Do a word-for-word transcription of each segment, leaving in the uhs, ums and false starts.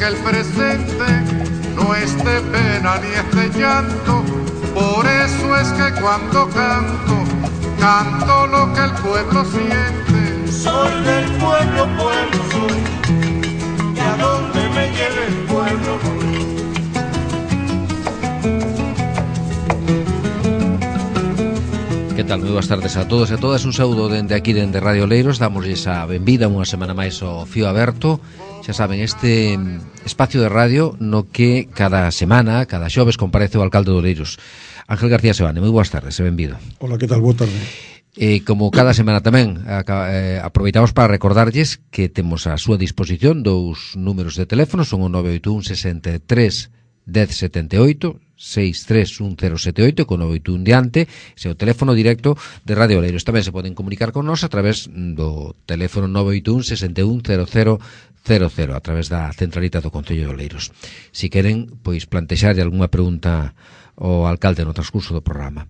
que el presente no es de pena ni es de llanto. Por eso es que cuando canto, canto lo que el pueblo siente. Soy del pueblo, pueblo soy, y a donde me lleve el pueblo voy. Que tal? Moi boas tardes a todos e a todas. Un saúdo dende aquí, dende Radio Oleiros. Damosles a benvida unha semana máis ao Fío Aberto. Xa saben, este espacio de radio no que cada semana, cada xoves, comparece o alcalde de Oleiros, Ángel García Sebane. Moi boas tardes e benvido. Hola, que tal? Boa tarde. E como cada semana tamén eh, aproveitamos para recordarlles que temos a súa disposición dous números de teléfono, son o nove oito un sesenta e tres dez setenta e oito, seis tres un cero sete oito, con nove oito un diante, ese é o teléfono directo de Radio Oleiros. Tamén se poden comunicar con nós a través do teléfono nove oito un sesenta e un cero cero cero cero, a través da centralita do Concello de Oleiros. Si queren, pois plantexarlle algunha pregunta ao alcalde no transcurso do programa.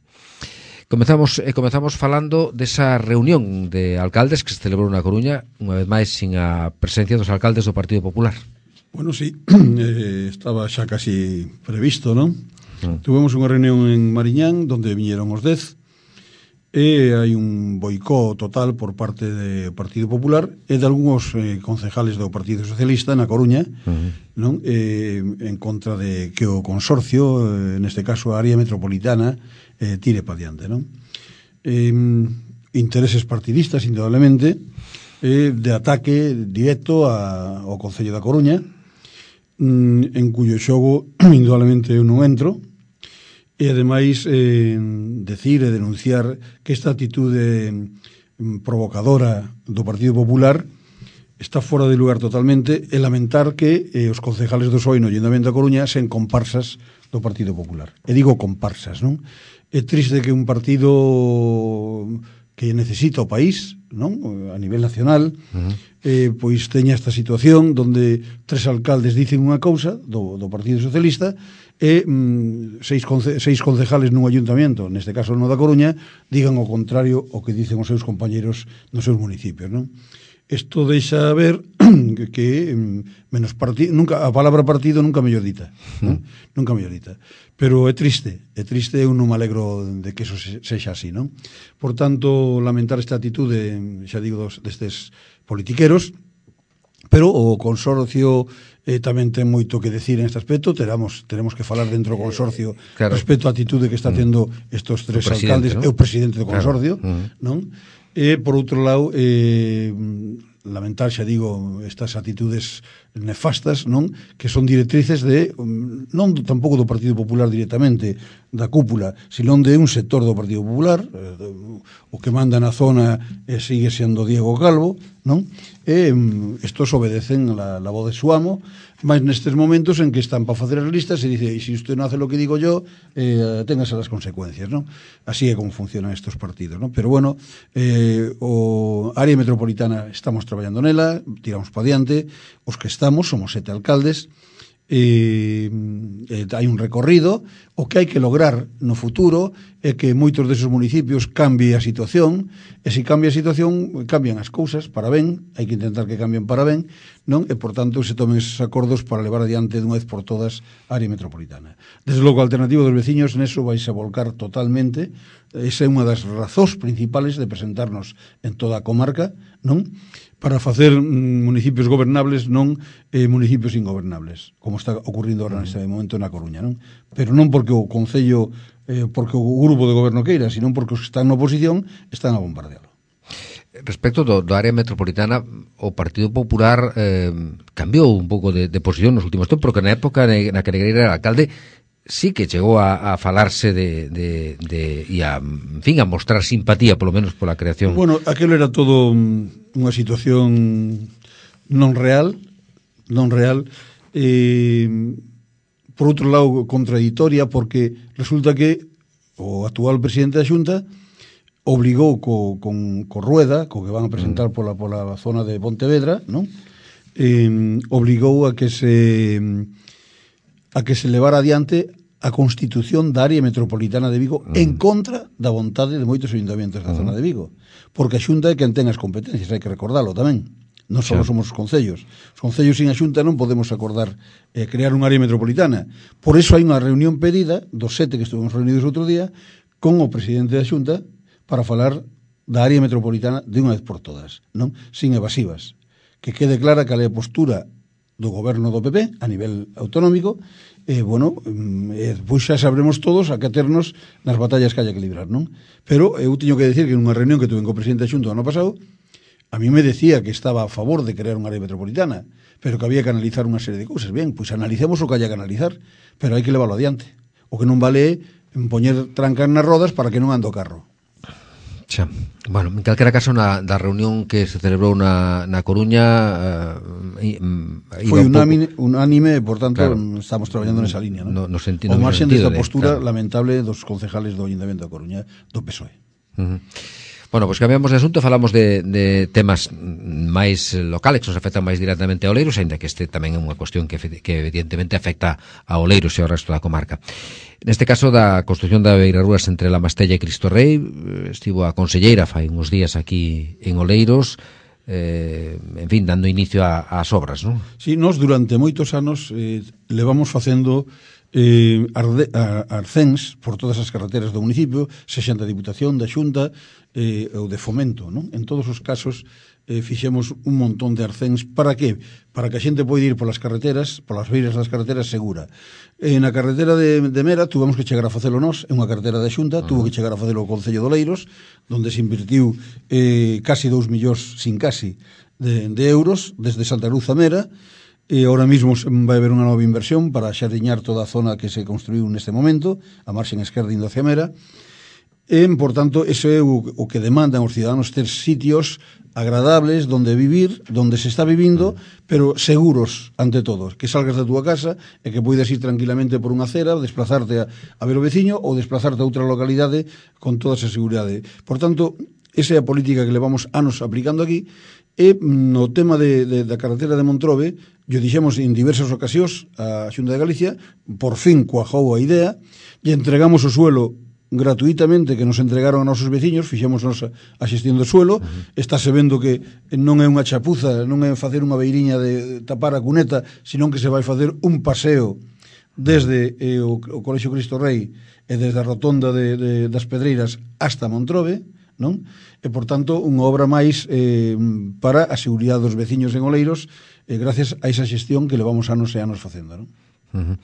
Comezamos, eh, comezamos falando desa reunión de alcaldes que se celebrou na Coruña, unha vez máis sin a presencia dos alcaldes do Partido Popular. Bueno, sí, eh, estaba xa casi previsto, non? Mm. Tuvemos unha reunión en Mariñán donde viñeron os dez e hai un boicó total por parte do Partido Popular e de algúns eh, concejales do Partido Socialista na Coruña, mm. non? Eh, en contra de que o consorcio, eh, neste caso a área metropolitana, eh, tire pa diante, non? Eh, intereses partidistas, indudablemente, eh, de ataque directo a, ao Concello da Coruña, en cuyo xogo indudablemente eu non entro, e ademais eh, decir e denunciar que esta atitude provocadora do Partido Popular está fora de lugar totalmente, e lamentar que eh, os concejales do P S O E no Ayuntamiento da Coruña sen comparsas do Partido Popular. E digo comparsas, non? É triste que un partido que necesita o país, non? A nivel nacional, uh-huh. eh, pois teña esta situación donde tres alcaldes dicen unha cousa do, do Partido Socialista e mm, seis, conce, seis concejales nun ayuntamiento, neste caso no da Coruña, digan o contrario o que dicen os seus compañeros nos seus municipios, non? Isto deixa ver que, que menos partido, nunca, a palabra partido nunca mellor dita, non? Mm. Nunca mellor dita. Pero é triste, é triste, eu non me alegro de que eso sexa así, non? Por tanto, lamentar esta atitude, xa digo, dos, destes politiqueros, pero o consorcio eh, tamén ten moito que decir en este aspecto. Teramos, teremos que falar dentro do consorcio claro. respecto á atitude que está tendo estes tres alcaldes, ¿no? E o presidente do consorcio, claro. non? E, por outro lado, eh, lamentar, xa digo, estas atitudes nefastas, non? Que son directrices de, non tampouco do Partido Popular directamente, da cúpula, sino de un sector do Partido Popular, eh, o que manda na zona eh, sigue sendo Diego Calvo, non? E estos obedecen la, la voz de su amo, mas nestes momentos en que están para facer as listas se dice, e se usted non hace lo que digo yo, eh, téngase las consecuencias, non? Así é como funcionan estos partidos, non? Pero bueno, eh, o área metropolitana estamos traballando nela, tiramos pa diante, os que estamos, somos sete alcaldes, e, e hai un recorrido. O que hai que lograr no futuro é que moitos deses municipios cambie a situación, e se cambia a situación cambian as cousas para ben, hai que intentar que cambien para ben, non? E por tanto se tomen esos acordos para levar adiante dunha vez por todas a área metropolitana. Desde logo a alternativa dos veciños neso vais a volcar totalmente. Esa é unha das razóns principales de presentarnos en toda a comarca, non? Para facer municipios gobernables, non eh, municipios ingobernables, como está ocurrindo ahora neste momento na Coruña, non? Pero non porque o Concello, eh, porque o grupo de goberno queira, sino porque os que están na oposición están a bombardealo. Respecto do, do área metropolitana, o Partido Popular eh, cambiou un pouco de, de posición nos últimos tempos, porque na época na que Negreira era alcalde sí que chegou a, a falarse de, de, de e a, en fin, a mostrar simpatía, polo menos pola creación. Bueno, aquilo era todo unha situación non real, non real, eh, por outro lado contradictoria, porque resulta que o actual presidente da Xunta obligou co, con, co Rueda, co que van a presentar mm. pola, pola zona de Pontevedra, non? Eh, obligou a que se a que se levara adiante a constitución da área metropolitana de Vigo mm. en contra da vontade de moitos ayuntamientos da mm. zona de Vigo, porque a Xunta é quen ten as competencias, hai que recordalo tamén. non só Xa. somos os concellos. Os concellos sin a Xunta non podemos acordar eh, crear unha área metropolitana. Por iso hai unha reunión pedida dos sete que estuvemos reunidos outro día con o presidente da Xunta para falar da área metropolitana de unha vez por todas, non? Sin evasivas. Que quede clara cal é a postura do goberno do P P a nivel autonómico e, bueno, e, pois xa sabremos todos a que aternos nas batallas que haya que librar, non? Pero eu teño que decir que nunha reunión que tuve co presidente da Xunta o ano pasado, a mí me decía que estaba a favor de crear unha área metropolitana, pero que había que analizar unha serie de cousas. Bien, pois analicemos o que haya que analizar, pero hai que leválo adiante. O que non vale é poñer trancas nas rodas para que non ande o carro. Xa. Bueno, en calquera caso, na, da reunión que se celebrou na, na Coruña uh, foi un unánime, unánime, por tanto, claro, estamos traballando nesa línea, ¿no? No, no sentido, o marxen no desta de, postura claro, lamentable dos concejales do Ayuntamiento da Coruña, do P S O E. Uh-huh. Bueno, pois pues cambiamos de asunto, falamos de, de temas máis locales que nos afectan máis directamente a Oleiros, ainda que este tamén é unha cuestión que, que evidentemente afecta a Oleiros e ao resto da comarca. Neste caso da construción da beirarrúas entre La Mastella e Cristo Rei, estivo a conselleira fai uns días aquí en Oleiros, eh, en fin, dando inicio ás obras, non? Sí, nós durante moitos anos eh, levamos facendo eh, arde, a, arcéns por todas as carreteras do municipio, sexan da Diputación, da Xunta eh, ou de Fomento, non? En todos os casos eh, fixemos un montón de arcéns. Para que? Para que a xente pode ir polas carreteras, polas beiras das carreteras segura. Eh, na carretera de, de Mera tuvemos que chegar a facelo nós, é unha carretera da Xunta, uh-huh. tuvo que chegar a facelo o Concello de Oleiros, donde se invertiu eh, casi dous millóns, sin casi, de, de euros, desde Santa Cruz a Mera. E ahora mesmo vai haber unha nova inversión para xardiñar toda a zona que se construiu neste momento, a marxen esquerda indo hacia Mera. E, por tanto, iso é o, o que demandan os ciudadanos, ter sitios agradables donde vivir, donde se está vivindo, pero seguros ante todo, que salgas da túa casa e que poidas ir tranquilamente por unha acera, desplazarte a, a ver o veciño ou desplazarte a outra localidade con toda esa seguridade. Por tanto, esa é a política que levamos anos aplicando aquí. E no tema de, de, da carretera de Montrobe, yo dixemos en diversas ocasións a Xunta de Galicia, por fin cuajou a idea, e entregamos o suelo gratuitamente que nos entregaron a nosos veciños, fixemos nos a, a xestión do suelo, uh-huh. estáse vendo que non é unha chapuza, non é facer unha beiriña de tapar a cuneta, senón que se vai facer un paseo desde eh, o, o Colexio Cristo Rei e desde a rotonda de, de, das Pedreiras hasta Montrobe, non? E, por tanto, unha obra máis eh, para a seguridade dos veciños en Oleiros, eh, gracias a esa xestión que levamos anos e anos facendo, non? Uh-huh.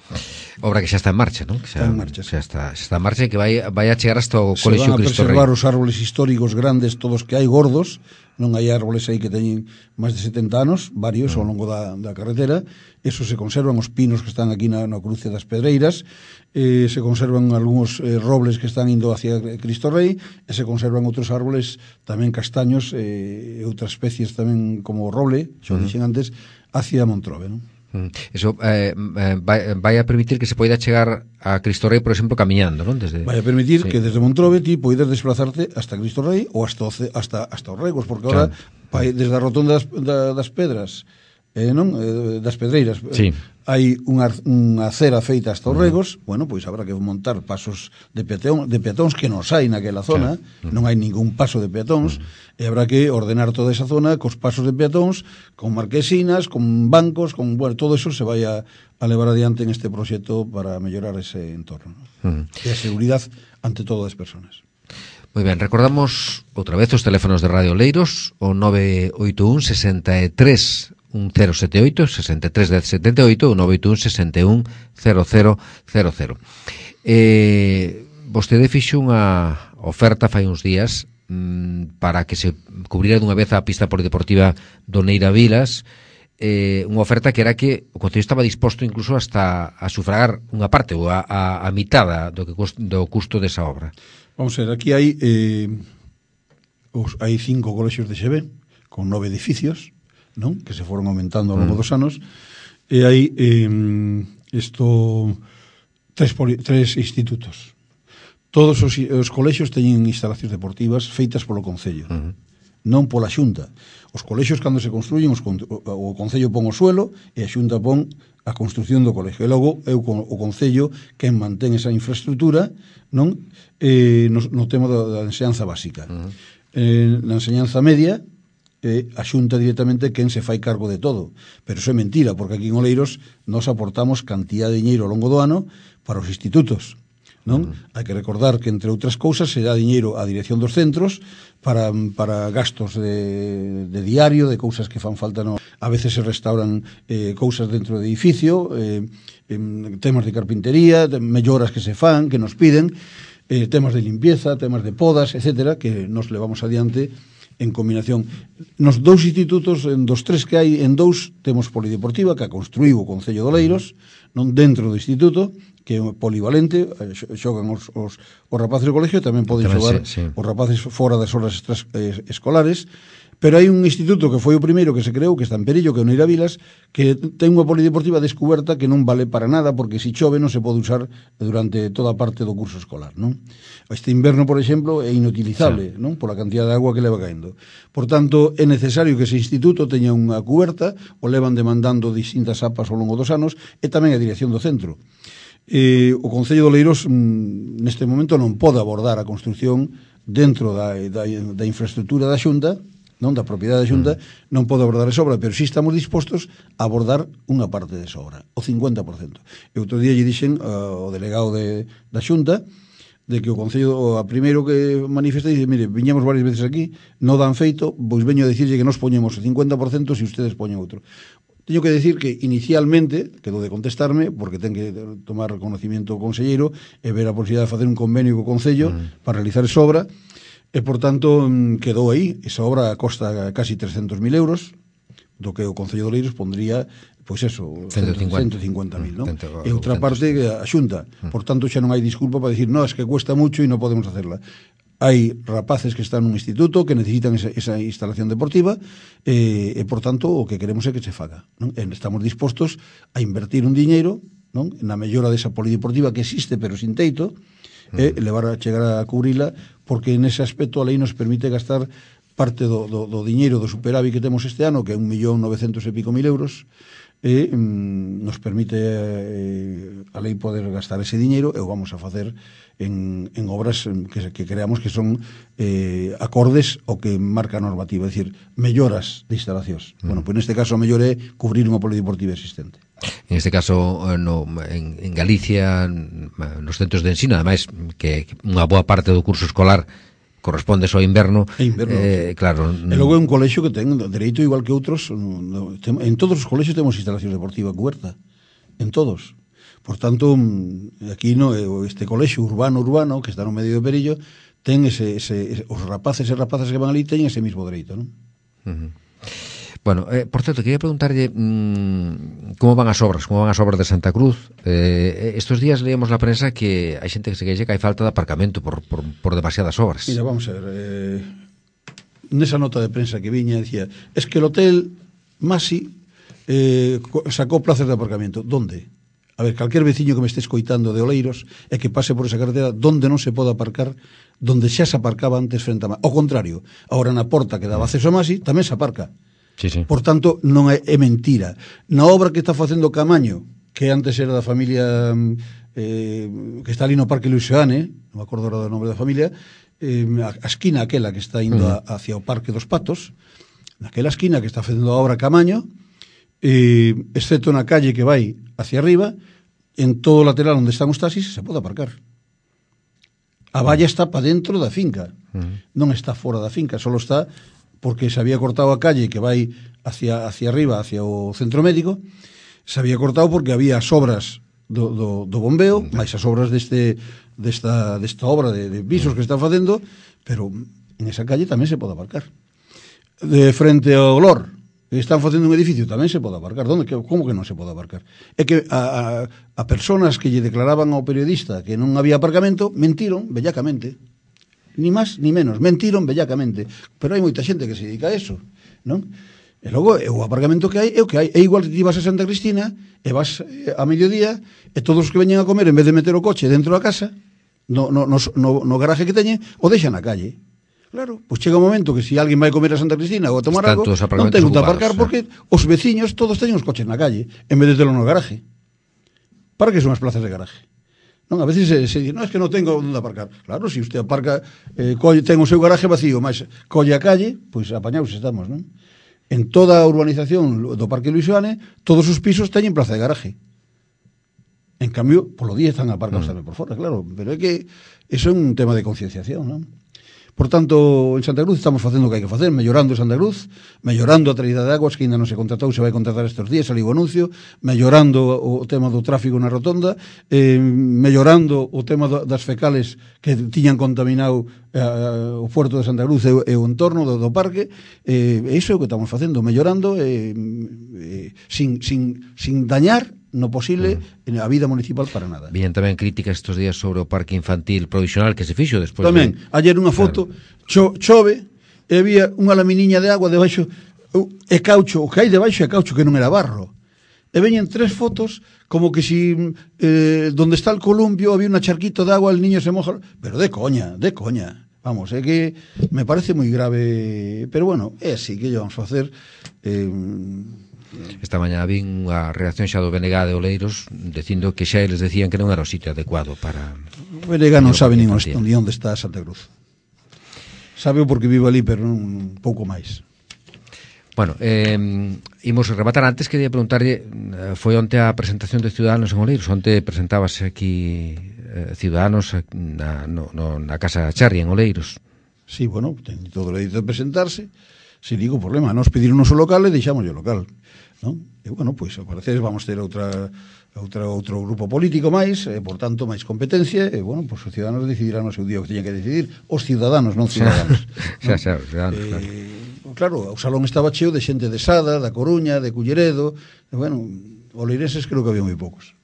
Obra que xa está en marcha, non? Que xa, está en marcha, xa está, xa está en marcha e que vai, vai a chegar hasta o se Colexio Cristo Rei. Se van a preservar os árboles históricos grandes, todos que hai gordos, non hai árboles aí que teñen máis de setenta anos, varios uh-huh. ao longo da, da carretera, eso se conservan, os pinos que están aquí na, na cruce das Pedreiras, eh, se conservan algúns eh, robles que están indo hacia Cristo Rei, e se conservan outros árboles, tamén castaños, e eh, outras especies tamén como o roble, xo uh-huh. dixen antes, hacia Montrobe, non? Eso eh, vai, vai a permitir que se poida chegar a Cristo Rei, por exemplo, camiñando, non? Desde... Vai a permitir sí. que desde Montrobe ti poidas desplazarte hasta Cristo Rei ou hasta hasta, hasta os Regos, porque claro. Ahora vai desde a rotonda das, da, das Pedras, eh, non? Eh, das Pedreiras, sí. hai unha, unha acera feita hasta os Regos, uh-huh. bueno, pois habrá que montar pasos de, peatón, de peatóns que nos hai naquela zona, claro. uh-huh. non hai ningún paso de peatóns, uh-huh. e habrá que ordenar toda esa zona cos pasos de peatóns, con marquesinas, con bancos, con, bueno, todo eso se vai a, a levar adiante en este proxecto para mellorar ese entorno, ¿no? Uh-huh. E a seguridade ante todas as persoas. Moi ben, recordamos outra vez os teléfonos de Radio Oleiros, o nove oito un, sesenta e tres, un cero sete oito, sesenta e tres, dez setenta e oito, o nove oito un, sesenta e un, cero cero cero cero. Eh, vostede fixo unha oferta fai uns días mmm, para que se cubrira dunha vez a pista polideportiva do Neira Vilas, eh, unha oferta que era que o Concello estaba disposto incluso hasta a sufragar unha parte ou a, a, a mitada do, que, do custo desa obra. Vamos a ver, aquí hai eh, os, hai cinco colexios de Xeve con nove edificios, non? Que se foron aumentando ao longo mm. dos anos, e hai eh, isto tres, poli, tres institutos. Todos os, os colexios teñen instalacións deportivas feitas polo Concello, mm. non pola Xunta. Os colexios, cando se construyen, os, o Concello pon o suelo e a Xunta pon a construción do colexio. E logo é o, o Concello quen mantén esa infraestructura, non? Eh, no, no tema da, da enseñanza básica. Uh-huh. Eh, na enseñanza media eh, a Xunta directamente quen se fai cargo de todo. Pero iso é mentira, porque aquí en Oleiros nos aportamos cantidad de diñeiro ao longo do ano para os institutos, non? Uh-huh. Hai que recordar que, entre outras cousas, se dá diñeiro á dirección dos centros para, para gastos de, de diario, de cousas que fan falta, no? A veces se restauran eh, cousas dentro do edificio, eh, eh, temas de carpintería, de melloras que se fan, que nos piden, eh, temas de limpieza, temas de podas, etcétera, que nos levamos adiante en combinación. Nos dous institutos, en dos tres que hai, en dous temos polideportiva, que a construiu o Concello de Oleiros, non dentro do instituto, que é polivalente, xogan os, os, os rapaces do colegio, tamén poden tamén xogar sí, sí. os rapaces fora das horas extras, eh, escolares, pero hai un instituto que foi o primeiro que se creou, que está en Perillo, que é o Neira Vilas, que ten unha polideportiva descuberta que non vale para nada, porque se chove non se pode usar durante toda a parte do curso escolar, non? Este inverno, por exemplo, é inutilizable, sí. non? Pola cantidad de agua que leva caendo. Por tanto, é necesario que ese instituto teña unha cuberta, o levan demandando distintas apas ao longo dos anos, e tamén a dirección do centro. Eh, o Concello de Oleiros mm, neste momento non pode abordar a construción dentro da, da, da infraestructura da Xunta, non da propiedade da Xunta, mm. non pode abordar esa obra, pero si estamos dispostos a abordar unha parte desa obra, o cincuenta por cento. E outro día lle dixen uh, o delegado de, da Xunta de que o Concello, a primeiro que manifesta, dice, mire, viñamos varias veces aquí, non dan feito, pois veño a dicirlle que nos poñemos o cincuenta por cento se ustedes poñen outro. Teño que decir que inicialmente, quedou de contestarme, porque ten que tomar reconocimiento o conselleiro e ver a posibilidade de facer un convenio co Concello mm. para realizar esa obra, e, por tanto, quedou aí. Esa obra costa casi trescentos mil euros, do que o Concello de Oleiros pondría, pois eso, ciento cincuenta mil, non? E outra parte, a Xunta. Por tanto, xa non hai disculpa para dicir, no, es que cuesta mucho e non podemos hacerla. Hai rapaces que están nun instituto que necesitan esa, esa instalación deportiva e, e, por tanto, o que queremos é que se faga, non? E estamos dispostos a invertir un diñeiro, non? Na mellora desa polideportiva que existe, pero sin teito, e levar a chegar a cubrila, porque nese aspecto a lei nos permite gastar parte do, do, do diñeiro do superávit que temos este ano, que é un millón novecentos e pico mil euros, e mm, nos permite eh, a lei poder gastar ese diñeiro, e o vamos a facer en, en obras que, que creamos que son eh, acordes ao que marca a normativa, é dicir, melloras de instalacións. Mm. Bueno, pois neste caso a mellor é cubrir unha polideportiva existente. En este caso, no, en, en Galicia, nos centros de ensino, ademais, que unha boa parte do curso escolar corresponde só ao inverno, inverno eh, claro. E logo é un colexio que ten dereito igual que outros, no, tem, en todos os colexios temos instalación deportiva cuberta, en todos. Por tanto, aquí no, este colexio urbano urbano que está no medio de Perillo ten ese, ese, os rapaces e rapazas que van ali teñen ese mismo dereito, non? Uh-huh. Bueno, eh, por certo, quería preguntarlle mmm, como van as obras, como van as obras de Santa Cruz. Eh, estos días leíamos na prensa que hai xente que se queixa que hai falta de aparcamento por, por, por demasiadas obras. Mira, vamos a ver, eh, nesa nota de prensa que viña, decía, es que el hotel Masi eh, sacou plazas de aparcamento. ¿Dónde? A ver, calquer veciño que me este escoitando de Oleiros e que pase por esa carretera, donde non se pode aparcar, donde xa se aparcaba antes frente a Masi. Ao contrario, agora na porta que daba acceso a Masi, tamén se aparca. Sí, sí. Por tanto, non é, é mentira. Na obra que está facendo Camaño, que antes era da familia eh, que está ali no Parque Luis Seane, non me acordo agora do nombre da familia, eh, a, a esquina aquela que está indo uh-huh. a, hacia o Parque dos Patos, naquela esquina que está facendo a obra Camaño, eh, excepto na calle que vai hacia arriba, en todo o lateral onde están os taxis se pode aparcar. A valla está para dentro da finca, uh-huh. non está fora da finca, só está porque se había cortado a calle que vai hacia, hacia arriba, hacia o centro médico, se había cortado porque había as obras do, do, do bombeo, máis as obras deste, desta, desta obra de, de pisos que están facendo, pero en esa calle tamén se pode aparcar. De frente ao Lor, que están facendo un edificio, tamén se pode aparcar. Donde, como que non se pode aparcar? É que a, a, a personas que lle declaraban ao periodista que non había aparcamento, mentiron bellacamente. Ni máis ni menos, mentiron bellacamente, pero hai moita xente que se dedica a eso, non? E logo o aparcamento que hai é o que hai, é igual que ti vas a Santa Cristina e vas a mediodía e todos os que veñen a comer, en vez de meter o coche dentro da casa, no, no, no, no garaje que teñen, o deixan na calle. Claro, pois chega un momento que se si alguén vai comer a Santa Cristina ou a tomar algo, non ten onde aparcar porque os veciños todos teñen os coches na calle, en vez de telo no garaje. Para que son as plazas de garaje? Non, a veces se, se dice, non, es que non tengo onde aparcar. Claro, se si usted aparca, eh, colle, ten o seu garaje vacío, mas colle a calle, pois pues, apañados estamos, non? En toda a urbanización do Parque Luis Oane, todos os pisos teñen plaza de garaje. En cambio, polo día están aparcados mm. tamén por fora, claro. Pero é que eso é un tema de concienciación, non? Por tanto, en Santa Cruz estamos facendo o que hai que facer, mellorando Santa Cruz, mellorando a traída de aguas, que ainda non se contratou, se vai contratar estes días, saliu o anuncio, mellorando o tema do tráfico na rotonda, eh, mellorando o tema do, das fecales que tiñan contaminado eh, o puerto de Santa Cruz e, e o entorno do, do parque, eh, iso é o que estamos facendo, mellorando eh, eh, sin, sin, sin dañar no posible mm. a vida municipal para nada. Bien tamén críticas estes días sobre o parque infantil provisional que se fixo despois. Tamén, de... ayer unha foto, claro. cho, chove e había unha laminiña de agua debaixo e caucho, o que hai debaixo é caucho que non era barro. E veñen tres fotos como que si eh, donde está el columpio había un charquito de agua, el niño se moja, pero de coña, de coña. Vamos, é que me parece moi grave, pero bueno, é así que vamos a facer. Eh, Esta mañá vin a reacción xa do B N G de Oleiros dicindo que xa eles decían que non era o sitio adecuado para... O B N G non sabe nin onde está Santa Cruz. Sabe porque vive ali, pero non un pouco máis. Bueno, eh, imos rematar. Antes quería preguntarlle, foi onte a presentación de Ciudadanos en Oleiros, onte presentábase aquí eh, Ciudadanos na, no, no, na Casa Charri en Oleiros. Sí, bueno, ten todo o dereito de presentarse. Se digo problema, nos pediron o noso local e deixamos o local, non? E bueno, pois ao parecer vamos ter outra outra outro grupo político máis, e por tanto máis competencia, e bueno, pois os ciudadanos decidirán o seu día o que teñen que decidir, os ciudadanos, non ciudadanos. Xa, xa, ciudadanos, eh, claro. Claro, o salón estaba cheo de xente de Sada, da Coruña, de Culleredo, e bueno, oleirenses creo que había moi poucos.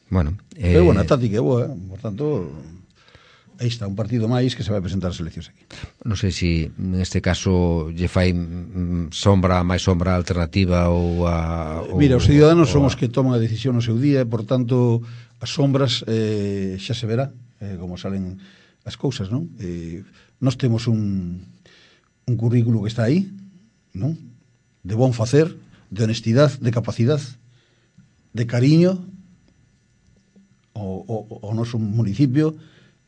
Bueno, eh... pero bueno, a táctica é boa, por tanto... Aí está, un partido máis que se vai presentar as eleccións aquí. Non sei se neste caso lle fai sombra, máis sombra alternativa ou a... Ou, Mira, os ciudadanos son os que toman a decisión no seu día, por tanto, as sombras eh, xa se verá eh, como salen as cousas, non? Eh, nós temos un, un currículo que está aí, non? De bon facer, de honestidade, de capacidade, de cariño ao, ao, ao noso municipio,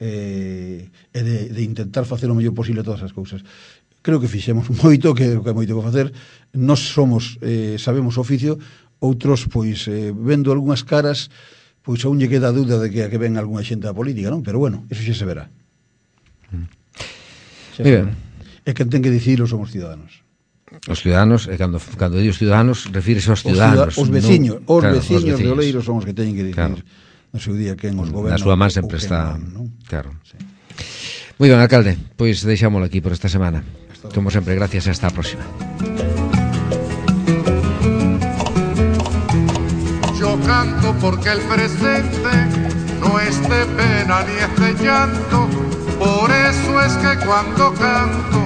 eh, e de, de intentar facer o mellor posible todas as cousas. Creo que fixemos moito, que é moito que facer. Nós somos, eh, sabemos o oficio, outros, pois, eh, vendo algunhas caras, pois aún lle queda a dúda de que a que ven algunha xente da política, non? Pero bueno, eso xa se verá. Mm. Xa se verá. E quen ten que dicirlo son os ciudadanos. Os ciudadanos, e cando, cando digo os ciudadanos, refírese aos ciudadanos. Os, os veciños, no, os, claro, veciños os veciños de Oleiros son os que teñen que dicir. Claro. No seu día quen os goberna. Na súa man sempre está, non, non? Claro. Sí. Moi ben, alcalde, pois deixámolo aquí por esta semana. Como sempre, gracias e hasta a próxima. Yo canto porque el presente no es de pena ni es de llanto, por eso es que cuando canto